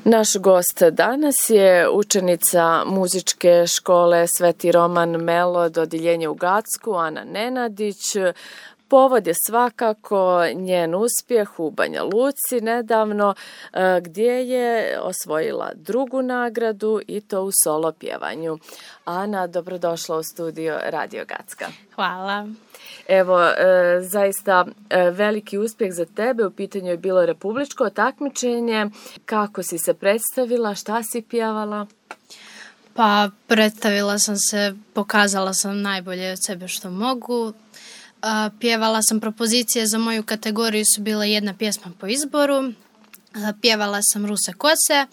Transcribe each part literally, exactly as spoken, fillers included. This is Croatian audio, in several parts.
Naš gost danas je učenica muzičke škole Sveti Roman Melod, odeljenje u Gacku, Ana Nenadić. Povod je svakako njen uspjeh u Banja Luci nedavno, gdje je osvojila drugu nagradu i to u solo pjevanju. Ana, dobrodošla u studio Radio Gacka. Hvala. Evo, zaista veliki uspjeh za tebe. U pitanju je bilo republičko takmičenje. Kako si se predstavila? Šta si pjevala? Pa, predstavila sam se, pokazala sam najbolje od sebe što mogu. Pjevala sam propozicije za moju kategoriju, su bile jedna pjesma po izboru. Pjevala sam Ruse kose,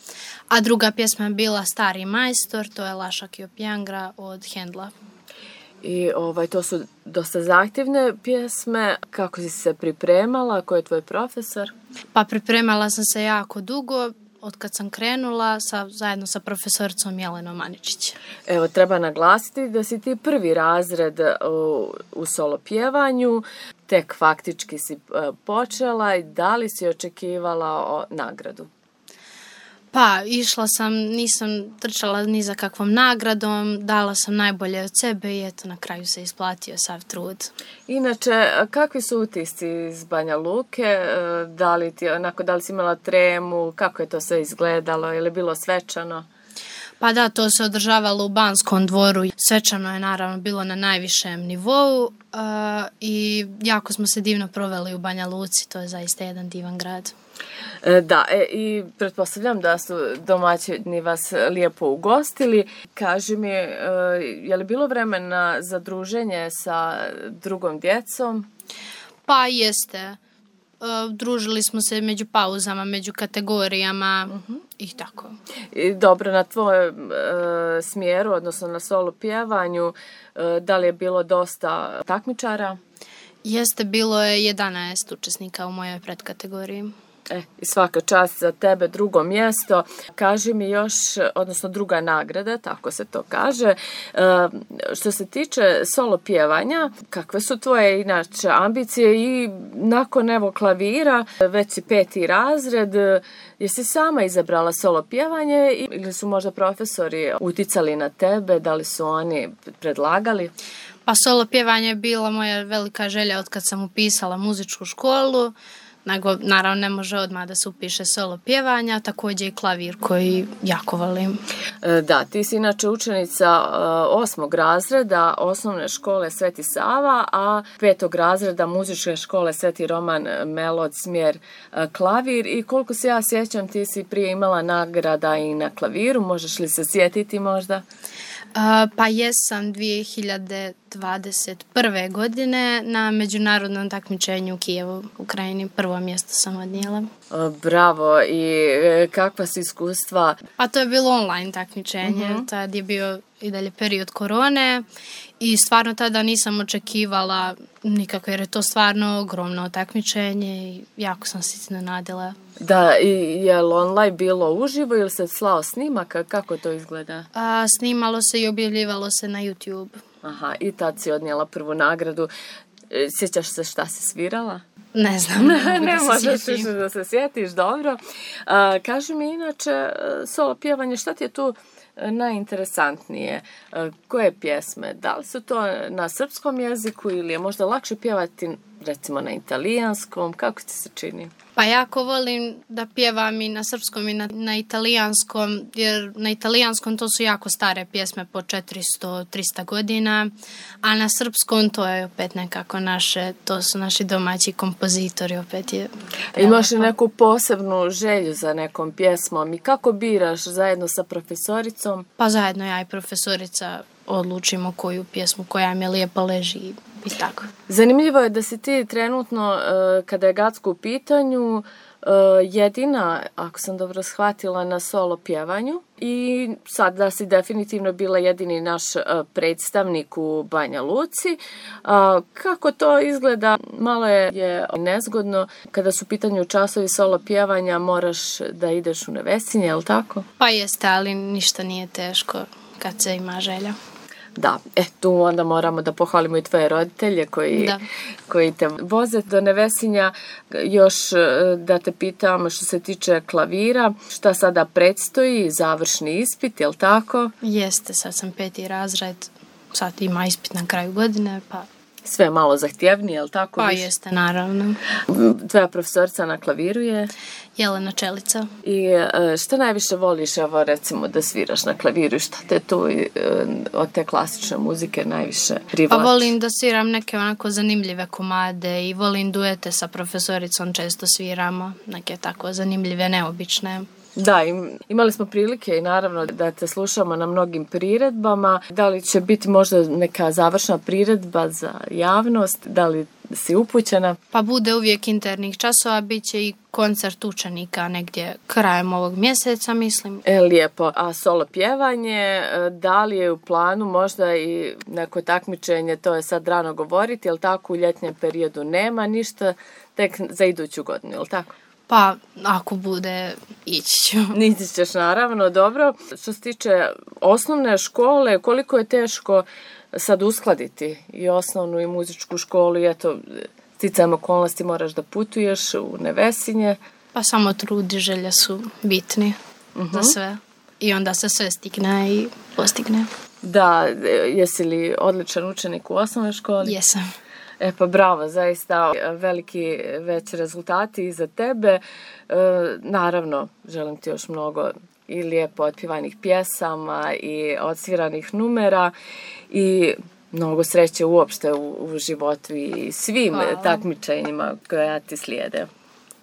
a druga pjesma je bila Stari majstor, to je Lašak i Opjangra od Hendla. I ovaj, to su dosta zahtjevne pjesme. Kako si se pripremala? Ko je tvoj profesor? Pa pripremala sam se jako dugo, od kad sam krenula sa, zajedno sa profesoricom Jelenom Maničić. Evo, treba naglasiti da si ti prvi razred u, u solo pjevanju, tek faktički si počela i da li si očekivala o nagradu? Pa, išla sam, nisam trčala ni za kakvom nagradom, dala sam najbolje od sebe i eto, na kraju se isplatio sav trud. Inače, kakvi su utisci iz Banja Luke? Da li, ti, onako, da li si imala tremu? Kako je to sve izgledalo? Je li bilo svečano? Pa da, to se održavalo u Banskom dvoru. Svečano je naravno bilo na najvišem nivou uh, i jako smo se divno proveli u Banja Luci. To je zaista jedan divan grad. Da, e, i pretpostavljam da su domaćini vas lijepo ugostili. Kaži mi, e, je li bilo vremena za druženje sa drugom djecom? Pa jeste. E, družili smo se među pauzama, među kategorijama uh-huh. i tako. I dobro, na tvojem e, smjeru, odnosno na solo pjevanju, e, da li je bilo dosta takmičara? Jeste, bilo je jedanaest učesnika u mojoj predkategoriji. E, i svaka čast za tebe, drugo mjesto. Kaži mi još, odnosno druga nagrada, tako se to kaže. E, što se tiče solo pjevanja, kakve su tvoje inače ambicije i nakon evo klavira, već si peti razred, jesi sama izabrala solo pjevanje ili su možda profesori uticali na tebe, da li su oni predlagali? Pa solo pjevanje je bila moja velika želja od kad sam upisala muzičku školu. Nego, naravno, ne može odmah da se upiše solo pjevanja, također i klavir koji jako volim. Da, ti si inače učenica osmog razreda osnovne škole Sveti Sava, a petog razreda muzičke škole Sveti Roman Melod, smjer klavir. I koliko se ja sjećam, ti si prije imala nagrada i na klaviru, možeš li se sjetiti možda? Uh, pa jesam dvije hiljade dvadeset prve. godine na međunarodnom takmičenju u Kijevu, Ukrajini. Prvo mjesto sam odnijela. Bravo. I kakva su iskustva? Pa to je bilo online takmičenje. Uh-huh. Tad je bio i dalje period korone i stvarno tada nisam očekivala nikako, jer je to stvarno ogromno takmičenje i jako sam se iznenadila. Da, i je li online bilo uživo ili se slao snimak? Kako to izgleda? A, snimalo se i objavljivalo se na YouTube. Aha, i tad si odnijela prvu nagradu. Sjećaš se šta si svirala? Ne znam. Ne, ne možeš više da se sjetiš, dobro. A, kaži mi inače, solo pjevanje, šta ti je tu najinteresantnije? Koje pjesme? Da li su to na srpskom jeziku ili je možda lakše pjevati recimo na italijanskom? Kako ti se čini? Pa jako volim da pjevam i na srpskom i na, na italijanskom, jer na italijanskom to su jako stare pjesme po četiristo do trista godina, a na srpskom to je opet nekako naše, to su naši domaći kompozitori, opet je... Imaš li neku posebnu želju za nekom pjesmom i kako biraš zajedno sa profesoricom? Pa zajedno ja i profesorica odlučimo koju pjesmu koja mi lijepo leži i tako. Zanimljivo je da si ti trenutno, kada je Gacko u pitanju, jedina, ako sam dobro shvatila, na solo pjevanju i sad da si definitivno bila jedini naš predstavnik u Banja Luci. Kako to izgleda? Malo je nezgodno kada su u pitanju časovi solo pjevanja, moraš da ideš u Nevesinje, je li tako? Pa jeste, ali ništa nije teško kad se ima želja. Da, e tu onda moramo da pohvalimo i tvoje roditelje koji, da. koji te voze do Nevesinja. Još da te pitam što se tiče klavira, šta sada predstoji, završni ispit, je li tako? Jeste, sad sam peti razred, sad ima ispit na kraju godine, pa... Sve malo zahtjevnije, je li tako? Pa više? Jeste, naravno. Tvoja profesorica na klaviru je? Jelena Čelica. I što najviše voliš, evo recimo, da sviraš na klaviru i šta te tu od te klasične muzike najviše privlači? Pa volim da sviram neke onako zanimljive komade i volim duete sa profesoricom, često sviramo neke tako zanimljive, neobične. Da, imali smo prilike i naravno da te slušamo na mnogim priredbama. Da li će biti možda neka završna priredba za javnost? Da li si upućena? Pa bude uvijek internih časova, bit će i koncert učenika negdje krajem ovog mjeseca, mislim. E, lijepo. A solo pjevanje, da li je u planu možda i neko takmičenje, to je sad rano govoriti, jel tako u ljetnjem periodu nema ništa, tek za iduću godinu, jel tako? Pa, ako bude, ići ću. Ići ćeš, naravno, dobro. Što se tiče osnovne škole, koliko je teško sad uskladiti i osnovnu i muzičku školu i eto, sticajem okolnosti moraš da putuješ u Nevesinje. Pa samo trud i želje su bitni uh-huh. za sve. I onda se sve stigne i postigne. Da, jesi li odličan učenik u osnovnoj školi? Jesam. E pa bravo, zaista veliki već rezultati iza tebe. E, naravno, želim ti još mnogo i lijepo otpjevanih pjesama i odsviranih numera i mnogo sreće uopšte u, u životu i svim Hvala. takmičenjima koja ti slijede.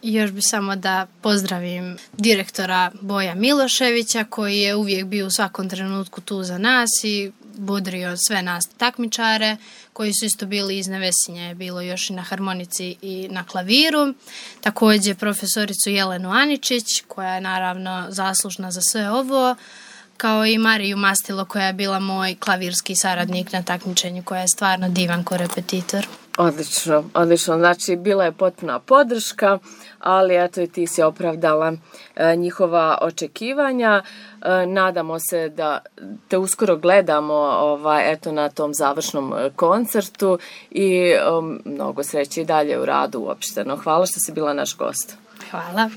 Još bi samo da pozdravim direktora Boja Miloševića koji je uvijek bio u svakom trenutku tu za nas i budrio sve nas takmičare koji su isto bili iz Nevesinja, je bilo još i na harmonici i na klaviru. Također profesoricu Jelenu Aničić koja je naravno zaslužna za sve ovo, kao i Mariju Mastilo koja je bila moj klavirski saradnik na takmičenju, koja je stvarno divan korepetitor. Odlično, odlično. Znači, bila je potpuna podrška, ali eto i ti si opravdala e, njihova očekivanja. E, nadamo se da te uskoro gledamo ovaj, eto, na tom završnom koncertu i um, mnogo sreće i dalje u radu uopšteno. Hvala što si bila naš gost. Hvala.